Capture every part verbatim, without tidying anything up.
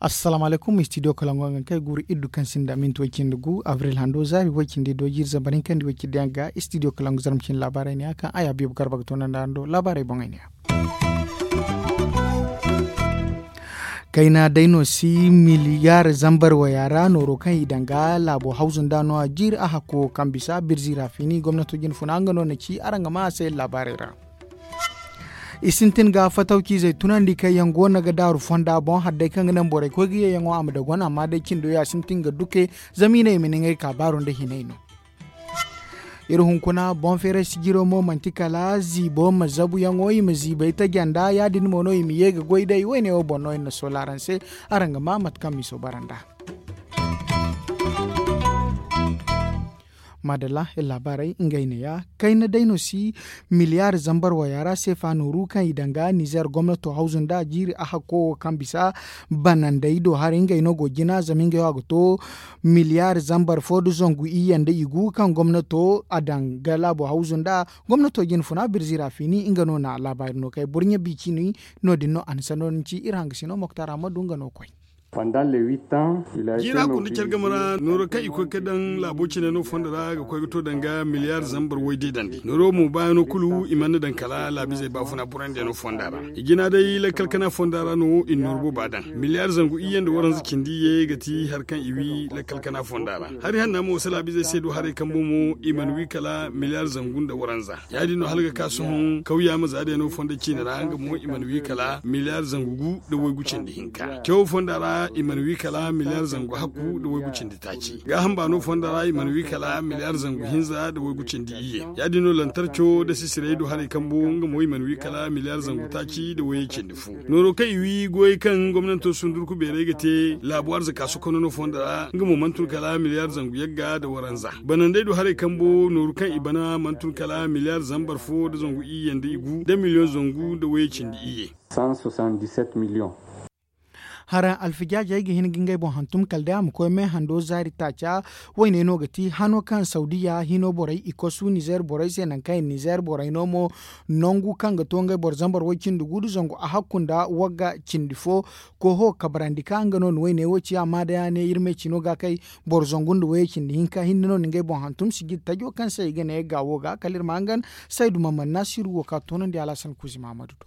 Assalaamu alaykum, studio kalangu yaŋ kaŋ ay guru iddu kaŋ sinda minti way cindi gu abril hando zaari way cindi do jiiri zambar hinka nda way cindi yaŋ ga studio kalangu zarma cindi laabaarey ne ya kaŋ ay habiibu garba ga toonandi araŋ do laabaarey boŋey ne ya. Kayna day no si miliyaar zambar waya ra nooro kaŋ i daŋ ga laabo hawzu nda no a jiiri a hakko kaŋ bisa birzi ra fini gomnato jine funa nga no na ci araŋ ga ma a se laabaarey ra. I sintin ga fatawciizey tunandi kaŋ yaŋ go no ga daaru fonda boŋ hari day kaŋ ga naŋ borey koy ga ye yaŋo a ma dagon amma day cindo ya sintin ga duke zama i ne i ma ni ngey ka baaru nda hinay no. Iri hunkuna boŋ feeray sijiro mo manti kala ziibo ma zabu yaŋo i ma ziibay taja nda ya- din mo no i ma ye ga goy day wayne wo boŋ no iri na soola araŋ se. Araŋ ga ma mate kaŋ miso bara nd'a. Maadalla iri laabaarey ngey neeya. Kayna day no si miliyaar zambar waya ra seefa nooru kaŋ i daŋ ga nizeer gomnato hawzu nda jiiri a hakko wo kaŋ bisa banandey do haray ngey no go jina zama ngey wo a ga to miliyaar zambar fo nda zangu iyye nda i gu kaŋ gomnato a daŋ ga laabo hawzu nda gomnato jine funa birzi ra fini nga no na laabaari no kay burɲe bi cini. No- din no a na sanno din ci iri hangasino moktar ammadu nga no koy. Jiira kunda care game ra nooro kaŋ i koy ga daŋ laabo cine no fondo ra ga koy ga to danga miliyaar zambar way deedandi nooro mo baayaŋo kulu i mana daŋ kala laabizey baafuna burandiyano fonda ra. I jina day lakkal kana fonda ra no i na nooru booba daŋ miliyaar zangu iyye nda waranza cindi iyye ga ti hari kaŋ i wi lakkal kana fonda ra. Hari hanna mo si laabizey se du haray kambo mo i mana wi kala miliyaar zangu nda waranza. Ya- din no hala ga ka sohõ kawya ma za day no fondo ciine ra nga mo i mana wi kala miliyaar zangu gu nda waygu cindi hinka cawo fonda ra i mana wi kala miliyaar zangu hakku nda waygu cindi taaci gaaham baano fonda ra i mana wi kala miliyaar zangu hinza nda waygu cindi iyye. Ya- din no lantarco nda sisiray du haray kambo nga mo i mana wi kala miliyaar zangu taaci nda wayye cindi fo. Nooro kaŋ i wi goyey kaŋ gomnanto sundurku beeray ga te laabu arzaka sokono no fondo ra nga mo mana tun kala miliyaar zangu yagga nda waranza. Banandey du haray kambo nooru kaŋ i bana mana tun kala miliyaar zambar fo nda zangu iyye nda i gu nda miliyoŋ zangu nda wayye cindi iyye. Haraŋ alfijaajey ga hin ga ngey boŋ hantum kala day a ma koy me hando zaari taaca. Wayne no ga ti hano kaŋ sawdiya hino borey i kosu nizeer borey se nangu kaŋ i nizeer borey no mo nangu kaŋ ga to ngey boro zambar way cindi gu nda zangu a hakku nda wagga cindi fo. Koho kabarandi ka nga no na wayne wo ci amma day a ne iri me cino ga kay boro zangu nda wayye cindi hinka hinne no na ngey boŋ hantum sijir tajo kaŋ se i ga ne gaawo ga kala iri ma hangan. Saydu mamman nasiru wo ka toonandi alhasan kuuzi mahamadu do.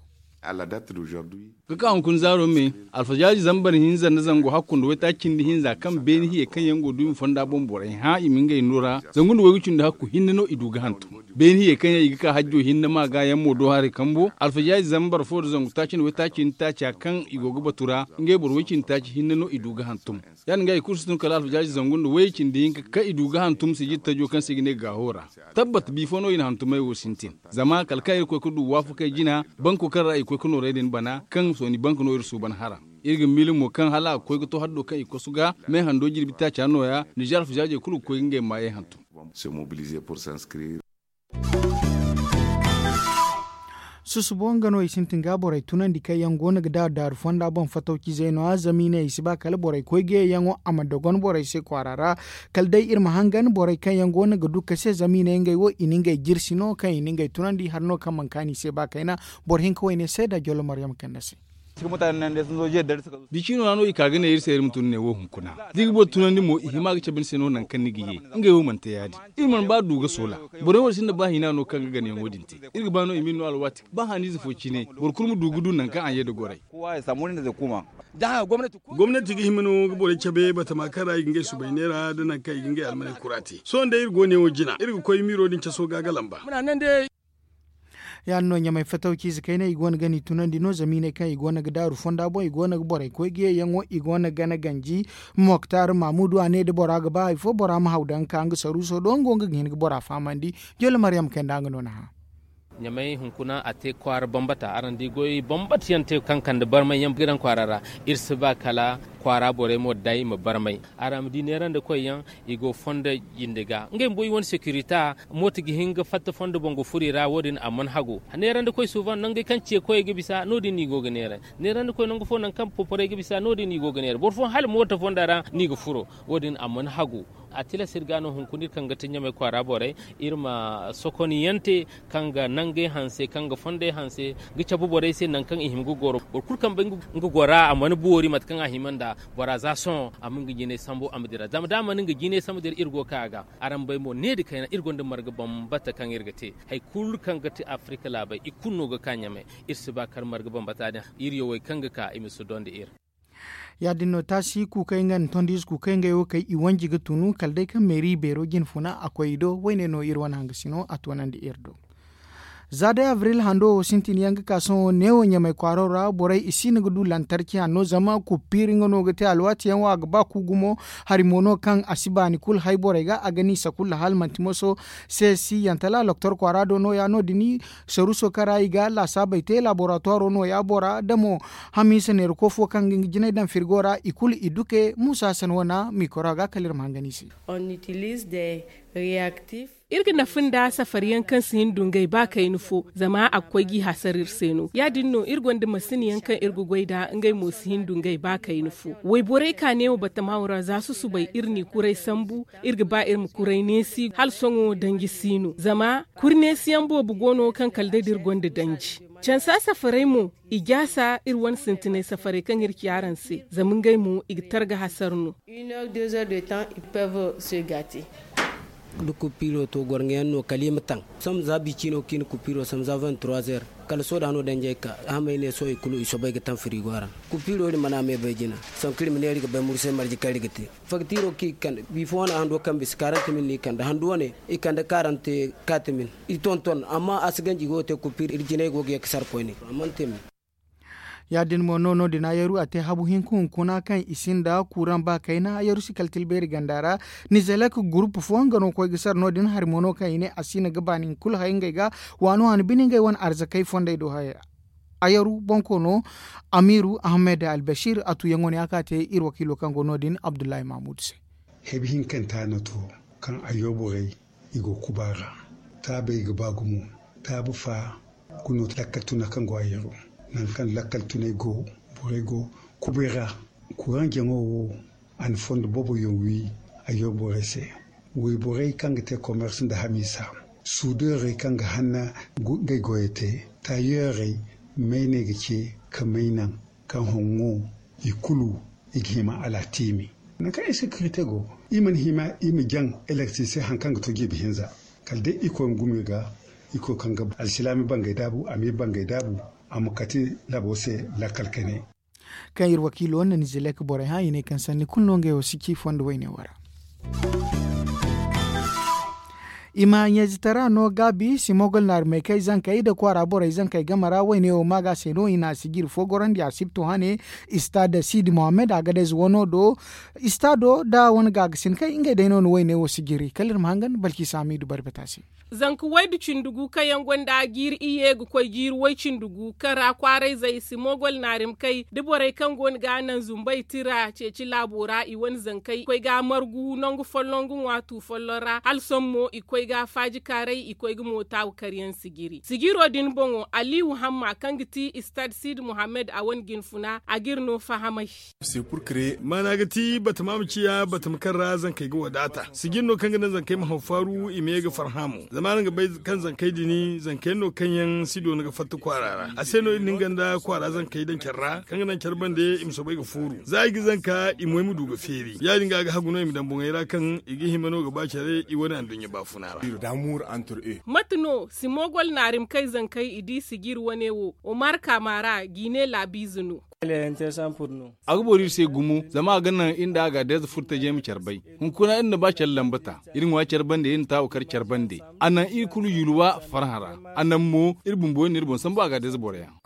Ga ka hunkuna zaaro me alfajaaji zambar hinza nda zangu hakku nda waytaaci cindi hinza kaŋ beeni hiyey kaŋ yaŋ go duumi fonda boŋ borey hã i ma ngey no ra zangu nda waygu cindi hakku hinne no i du ga hantum. Beeni hiyey kaŋ yaŋ i ga ka hajjo hinne ma ga yaŋ mo do haray kambo alfajaaji zambar fo nda zangu taaci nda waytaaci cindi taaca kaŋ i go ga batu ra ngey boro way cindi taaci hinne no i du ga hantum. Ya- din ga i kulu si tun kala alfajaaji zangu nda wayye cindi hinka kaŋ i du ga hantum sijir tajo kaŋ se i ga ne gaaho ra. Tabbat bifo no i na hantumey wo sintin zama kala kaŋ iri koy ga du waafakey jina banko kaŋ ra i koy ga noorey din bana kaŋ sooni bank no iri suuban hara. Iri ga miila mo kaŋ hala a ga koy ga to haddo kaŋ i kosu ga me hando jirbi taaca nooya nizeer alfajaajey kulu ga koy ga ngey maayey hantum. Susubo nga no i sintin ga borey tunandi kaŋ yaŋ go no ga daaru daaru fonda boŋ fatawcizey no- ya zama i ne i si ba kala borey koy ga ye yaŋo a ma dogon borey se kwaara ra. Kala day iri ma hangan borey kaŋ yaŋ go no ga du ka se zama i ne ngey wo i na ngey jirsi no kaŋ i na ngey tunandi hari no kaŋ mana kaanu i se ba kayna. Boro hinka wayne seeda jollo maryama kande se. Bicino ra no i ka ga ne iri se iri ma tun ne wo hunkuna da i ga boro tunandi mo i hima ga cabe ni se no nangu kaŋ ni ga ye. Ngey wo mana te ya- din iri mana ba du ga soola. Borey wo sinda ba hina no kaŋ ga ganayaŋo din te. Iri ga ba no i ma iri no alwaati ba haniize fo cine boro kulu ma du ga du nangu kaŋ a ye nda gorey. Gomnati ga hima no ga borey cabe batama kaŋ ra i ga ngey subay neera nda nangu kaŋ i ga ngey almaney kura te sohõ day iri go neewo jina iri ga koy miiro din caso ga ga lamba. Ya- din no ɲamay fatawciize kayna i go no ga ni tunandi no zama i ne kaŋ i go no ga daaru fonda boŋ i go no ga borey koy ga ye yaŋo i go no ga gana ganji. Moktar mamudu a ne da bora ga ba hari fo bora ma haw daŋ ga ka nga saruuso do nga wo nga ga hin ga bora fahamandi. Jolle maryam kay nda nga no na hã. Ɲamay hunkuna a te kwaara bambata araŋ di goy bambata yaŋ te kaŋ kande barmay yaŋ ga daŋ kwaara ra. Iri si ba kala kwaara borey mo day ma barmay. Araŋ ma di neerandi koy yaŋ i go fondo jinde ga ngey bumbo i wane securita. Mooto ga hin ga fatta fondo boŋ ga furo i ra wo- din a mana hagu. Neerandi koy suuban nangey kaŋ ce koyey ga bisa no- din no i go ga neera. Neerandi koy nangu fo nangu kaŋ poporey ga bisa no- din no i go ga neera boro fooyaŋ hala mooto fonda ra no i ga furo. Wo- din a mana hagu. A tilas iri ga no hunkuna iri kaŋ ga ti ɲamay kwaara borey, iri ma sokoniyante kaŋ ga nangey hanse, kaŋ ga fondey hanse, ga cabe borey se nangu kaŋ i hima ga goro. Boro kulu kaŋ bay nga gora a mana boori mate kaŋ a hima nda bora za sohõ a ma nga jinay sambu a ma dira zama da a mana nga jinay sambu dira iri go ga ka a ga. Araŋ bay mo ne da kayna iri gonda marga bambata kaŋ iri ga te. Hari kulu kaŋ ga ti afirika laabey i kulu no ga ka ɲamay. Iri si ba kar marga bambata din. Iri yawey kaŋ ga ka i ma si donda iri. Ya- din no taasi kuukey nga nda tondiize kuukey ngey wo kay i wanji ga tunu kala day kaŋ meeri beero jine funa a koy i do. Wayne no iri wane hangasino a toonandi iri do. Za day abril hando wo sintin yaŋ ga ka sohõ neewo ɲamay kwaaro ra borey i si no ga du lantarki hanno zama kuppiiri nga no ga te alwaati yaŋ wo a ga ba ku gumo. Hari mo no kaŋ a si baani kulu hay borey ga a ga niisa kulu hala manti moso se si yantala loktor kwaara do nooya no- din saruuso kaŋ ra i ga laasaabey te laaboratuwaaro nooya bora da mo hamiisa neera koofo kaŋ ga nga jinay daŋ firgo ra i kulu i duke muusa hasan wana mikoro ga kala iri ma hangan i se. Iri ga nafa nda safari yaŋ kaŋ si hin du ngey ba kayna fo zama a ga koy g'i hasara iri se no ya- din no iri gonda masin yaŋ kaŋ iri ga goy nd'a ngey mo si hin du ngey ba kayna fo. Wayborey ka neewo batama wo ra za susubay iri n'i kuray sambu. Iri ga ba iri ma kuray neesi hala sohõ danji si no zama kuri neesi yaŋ boobo go no kaŋ kala day da iri gonda danji. Cansa safarey mo i jaasa iri wane sintinay safarey kaŋ iri ci araŋ se zama ngey mo i ga targa hasara no. Da kupiiro to gorŋa yaŋ no kala i ma taŋ. Sambu za bi ciino kaŋ i na kupiiro sambu za vingt trois heures kala sohõ da hano danjey ka hamey ne sohõ i kulu i soobay ga taŋ firigo ra. Kupiiro iri mana me bay jina. Sanku iri ma ne iri ga bay mursay marje kaŋ iri ga te. Faktiiro kaŋ i ga kande biifo wane a hando kaŋ bisa karante mil no i kande handu wane i kande karante kaati mil. I tonton amma a si ganji go ga te kupiiro iri jinay go ga ye ga sara koyne. A mana te me. Ya- din mo no no- din ayaru a te habu hinka hunkuna kaŋ i sinda kuuraŋ ba kayna ayaru si kala tilbeeri ganda ra. Nizelek gurupu fo nga no koy ga sara no- din hari mo no kaŋ i ne a si no ga baani kulu hay ngey ga. Waano waano bine ngey wane arzakey fondey do haya. Ayaru bonkoono amiiru ahmed albasir a tuyaŋo ne a ka te iri wakiilo kaŋ go no- din abdullahi mahmud se. Hebi hinkanta no to kaŋ a yo borey i go kuba ra. Taabey ga ba gumo. Taabu fa guno lakkal tuna kaŋ go a yaro. Nangu kaŋ lakkal tunay go borey go kubay ra. Kuraŋ jaŋo wo a na fondo boobo yaŋ wi a yaro borey se. Wayborey kaŋ ga te komers nda hamiisa suudeerey kaŋ ga hanna ngey goyey te taayeerey. Mayney ga ce ka may naŋ kaŋ honŋo i kulu i ga hima alatiimi. Nangu kaŋ insekirite go i mana hima i ma jaŋ elektise hari kaŋ ga to jiibi hinza. Kala day irkoy ma gumo i ga irkoy kaŋ ga alsilaami bangey daabu a ma iri bangey daabu a ma kati laabo se. Lakkal kayne. Kaŋ iri wakiilo nda nizelek borey hã i ne kaŋ sanni kulu no ngey wo si ci fondo wayne wo ra. I ma ɲayzitara no gaabi simogol naari maykey zankey nda kwaara borey zankey game ra wayne wo maaga se no i na sijiri fo gorandi a sibto hane. Istad sidi mohammed agadez wano do istado nda wane gaagasin kaŋ ngey day no na wayne wo sijiri kala iri ma hangan balki saamidu barbata se. Zanka waydu cindi gu kaŋ yaŋ gonda jiiri iyye ga koy jiiri way cindi gu kaŋ ra kwaarayzey simogol naarimkey da borey kaŋ go no ga naŋ zumbay tira ceeci laabo ra i wane zankey koy ga margu nangu folloŋ ga ŋwa tu folloŋ ra hala sohõ mo i koy ga faajikaaray i koy ga mootaawu karyaŋ sijiri sijiro din boŋo aliiwu hamma kaŋ ga ti istad siidi muhammad a wane jinfuna a g'iri no fahamay. Maana ga ti batama ma ciya batama kaŋ ra zankey ga wadaata sijiri no kaŋ ga naŋ zankey ma haw faaru i ma ye ga farhã mo zama araŋ ga bay kaŋ zankey din zankey no kaŋ yaŋ si doona ga fatta kwaara ra a se no iri na nga nda kwaara zankey daŋ care ra kaŋ ga naŋ care bande i ma soobay ga fooru za i ga zanka i moy ma du ga feeri ya- din ga a ga hagu no i ma daŋ boŋey ra kaŋ i ga hima no ga ba care i wane anduɲɲa baafuna ra. Mate no simogol naarimkey zankey i di sijiri wane wo omar kaama ra jiine laabiize no. A ga boori iri se gumo zama a ga naŋ iri nda a ga deeza furtajey ma care bay. Hunkuna iri na ba care lambata iri ŋwa care bande iri na taawu kar care bande. A naŋ iri kulu yulwa farhã ra. A naŋ mo iri bumbo iri na iri boŋ sambu a ga deeza boro yaŋ.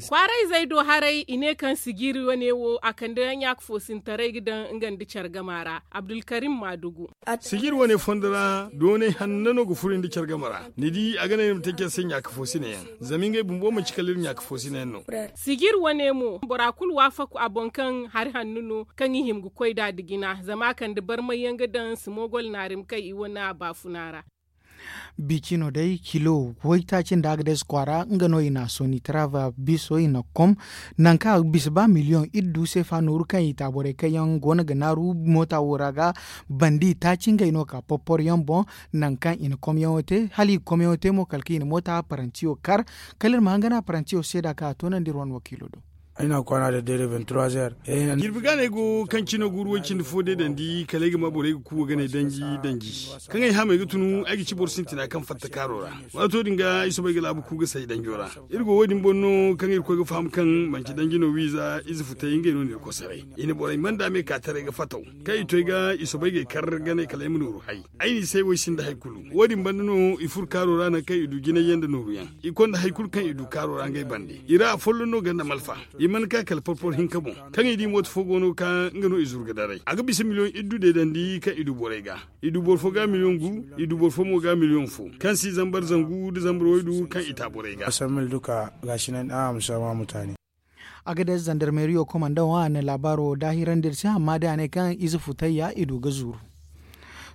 Kwaarayzey do haray i ne kaŋ sijiri wane wo a kande ɲaaka foosintaray ga daŋ nga nda care gama ra. Abdulkarim maadugu. Sijiri wane fondo ra doonay hanna no ga furo nda care game ra ni di a ga naŋ iri ma te care se ɲaaka foosina yaŋ. Zama ngey bumbo manti kala iri ɲaaka foosina yaŋ no. Sijiri wane mo bora kulu waafaku a boŋ kaŋ hari hanno no kaŋ i hima ga koy nd'a nda jina zama a kande barmay yaŋ ga daŋ simogol naarimkey i wane baafuna ra. Bicino day kilo waytaaci nda agades kwaara nga no i na a soni tarava biso i na kom nangu kaŋ a ga bisa ba miliyoŋ iddu seefa nooru kaŋ i taaborey kaŋ yaŋ go no ga naaru moota wo ra ga bandi taaci ngey no ka porpor yaŋ boŋ. Nangu kaŋ i na komyaŋo te hala i ga komyaŋo te mo kala kaŋ i na moota parantiyo kar. Kala iri ma hangan a parantiyo seeda kaŋ a toonandi iri wane wakiilo do. Jirbi gaaney go kaŋ cino guuru way cindi fo day dandi kala ay ga ma borey ga kuuwa ganey danji danji kaŋ ay hamey ga tunu ay ga ci boro sintina kaŋ fatta kaaro ra. Waato din ga ay soobay ga laabu ku ga say danjo ra. Iri go wo- din boŋ no kaŋ iri koy ga faham kaŋ manci danji no wiiza ize futay ngey no no iri kosaray. I na borey manda me ka taray ga fataw kaŋ i to ay ga i soobay ga ay kar ganey kala ay ma nooru hay. Ay n'i say wo ay sinda hari kulu. Wo- din banda no i furo kaaro ra nangu kaŋ i du jinay yaŋ nda nooru yaŋ. I konda hari kulu kaŋ i du kaaro ra ngey bande i ra afolloŋ no ganda malfa. I mana ka kala porpor hinka boŋ kaŋ i di mooto fo go no ga ka nga no i zuru ga daray a ga bisa miliyoŋ iddu deedandi kaŋ i du borey ga. I du boro fo ga miliyoŋ gu. I du boro fo mo ga miliyoŋ fo kaŋ si zambar zangu nda zambar waydu kaŋ i ta borey ga. Agadez zandarmeriyo komandaŋo a na laabaaro daahirandi iri se amma day a ne kaŋ ize futayya i du ga zuru.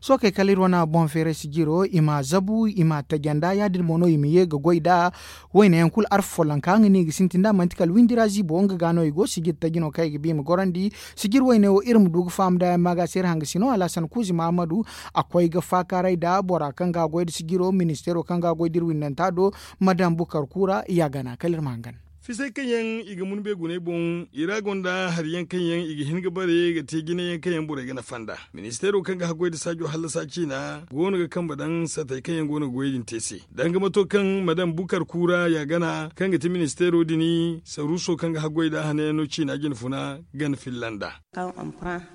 Sookey kala iri wane boŋ feeray sijiro i ma zabu i ma tajanda ya- din mo no i ma ye ga goy nd'a. Wayne yaŋ kulu arfa follonka nga no i ga sintin nd'a manti kala windi ra ziibo nga ga no i go sijir taji no kaŋ i ga ba i ma gorandi. Sijir wayne wo iri ma du ga faham nd'a yaŋ ma ga se iri hangasino alhasan kuuzi mahamadu. A koy ga faakaaray nd'a bora kaŋ ga a goy nda sijiro ministeero kaŋ ga a goy nda iri windanta do. Madam bukar kuura ya gana kala iri ma hangan. Fisay kaŋ yaŋ i ga mun beegunay boŋ i ra gonda hari yaŋ kaŋ yaŋ i ga hin ga bare ga te jine yaŋ kaŋ yaŋ borey ga nafa nd'a. Ministeero kaŋ ga haggoy nda saajo hallasa ciina go no ga kambe daŋ satey kaŋ yaŋ go no ga goyey din te se danga mato kaŋ madam bukar kuura ya gana kaŋ ga ti ministeero din saruuso kaŋ ga haggoy nd'a hane yaŋ no ciina jine funa gana filla nd'a. Da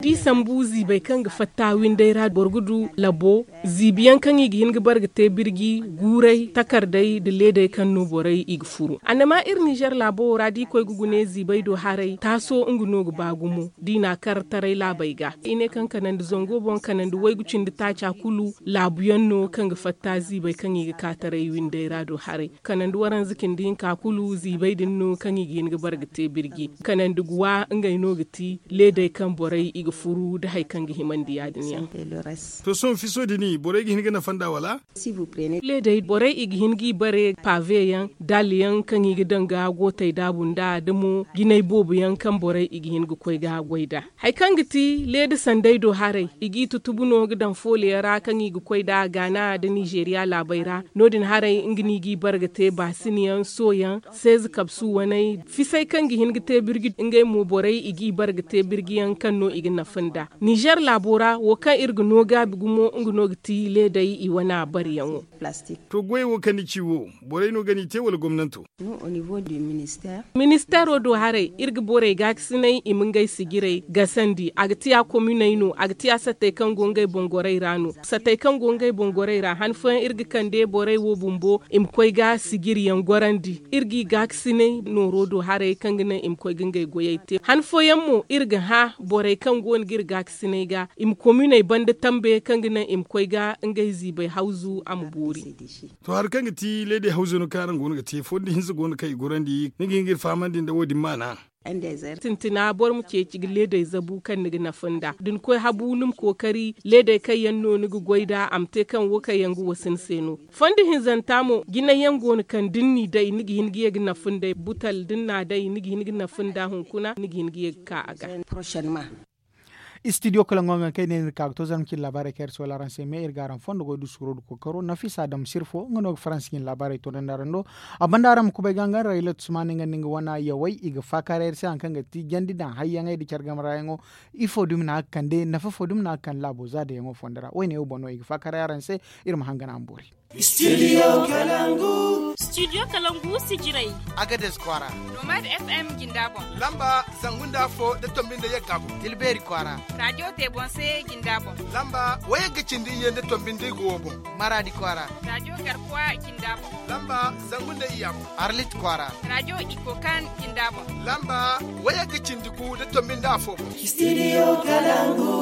i sambu ziibey kaŋ ga fatta winday ra boro ga du labo ziibi yaŋ kaŋ i ga hin ga bare ga te birji guuray takardey nda leedey kaŋ no borey i ga furu annama iri ninzeer laabo wo ra da i koy ga gune ziibey do haray taaso nga no ga ba gumo da i n'a kar taray laabey ga i ne kaŋ kanandi zango boŋ kanandi waygu cindi taaca kulu laabu yaŋ no kaŋ ga fatta ziibey kaŋ i ga ka taray winday ra do haray. Kanandi waranza cindi hinka kulu ziibey din no kaŋ i ga hin ga bare ga te birji kanandi guwa ngey no ga ti leedey kaŋ borey i ga furu nda hari kaŋ ga himandi ya- din yaŋ. To sohõ fiso din borey ga hin ga nafa nd'a wala? Leedey borey i ga hin g'i bare paaveyaŋ daalyaŋ kaŋ i ga daŋ ga gootey daabu nd'a da mo jinay boobo yaŋ kaŋ borey i ga hin ga koy ga goy nd'a. Hari kaŋ ga ti leeda sanday do haray i g'i tutubu no ga daŋ fooliyaŋ ra kaŋ i ga koy nd'a gaana nda nizeeriya laabey ra. No- din haray nga no i g'i bare ga te baasiniyaŋ sooyaŋ seeze kabsu waney fisay kaŋ ga hin ga te birji ngey mo borey i g'i bare ga te birjiyaŋ kaŋ no i ga nafa nd'a. Nizeer laabo ra wo kaŋ iri ga no gaabi gumo nga no ga ti leedey i wana bareyaŋo. To goyey wo kaŋ ni ci wo borey no ga n'i te wala gomnanto? Ministeero do haray iri ga borey gaakasinay i ma ngey sijirey gasandi a ga tiya kominey no a ga tiya sattey kaŋ go ngey boŋ gorey ra no sattey kaŋ go ngey boŋ gorey ra han fooyaŋ iri ga kande borey wo bumbo i ma koy ga sijiriyaŋ gorandi iri g'i gaakasinay nooro do haray kaŋ ga naŋ i ma koy ga ngey goyey te han fooyaŋ mo iri ga hã borey kaŋ go no ga iri gaakasinay ga i ma kominey banda tambe kaŋ ga naŋ i ma koy ga ngey ziibey hawzu a ma boori. To hari kaŋ ga ti leedey hawzo no kaŋ araŋ go no ga te fondo hinza go no kaŋ i gorandi ni ga hin ga iri fahamandi nda wo- din maana. Sintina boro ma ceeci ga leedey zabu kaŋ ni ga nafa nd'a da ni koy habu ni ma kookari leedey kaŋ yaŋ no ni ga goy nd'a a ma te kaŋ wo kaŋ yaŋ ga wasa ni se no. Fondo hinzanta mo jinay yaŋ go no kaŋ da ni n'i day ni ga hin ga ye ga nafa nd'ey butal da ni n'a day ni ga hin ga nafa nd'a hunkuna ni ga hin ga ye ga ka a ga. Istidiyo kalaŋo nga kaŋ ay ne iri ga ka ga to zarma cine laabaarey kaŋ iri si wala araŋ se me iri ga araŋ fondo goy du suuro du kookaro nafisa dam sirfo nga no ga faransi cine laabaarey toonandi araŋ do. A banda araŋ ma kubay ga nga rayla tusmaani nga nda nga wana yawey i ga faakaaray iri se hari kaŋ ga ti jandi daŋ hayyaŋey nda care game ra yaŋo. Ifo dumi no a ga kande nafa fo dumi no a ga kande laabo za da yaŋo fondo ra woyne wo boŋ no i ga faakaaray araŋ se. Iri ma hangan a ma boori. Studio kalangu. Studio kalangu sijirey. Agades kwaara. Nomad fm jinda boŋ. Lamba zangu nda afo nda tombi nda yagga boŋ. Tilbeeri kwaara. Radiyo tebonse jinda boŋ. Lamba wayagga cindi iyye nda tombi nda igo wo boŋ. Maraadi kwaara. Radiyo garkuwa jinda boŋ. Lamba zangu nda iyya boŋ. Arlit kwaara. Radiyo ikokan jinda boŋ. Lamba wayagga cindi gu nda tombi nda afo boŋ. Studio kalangu.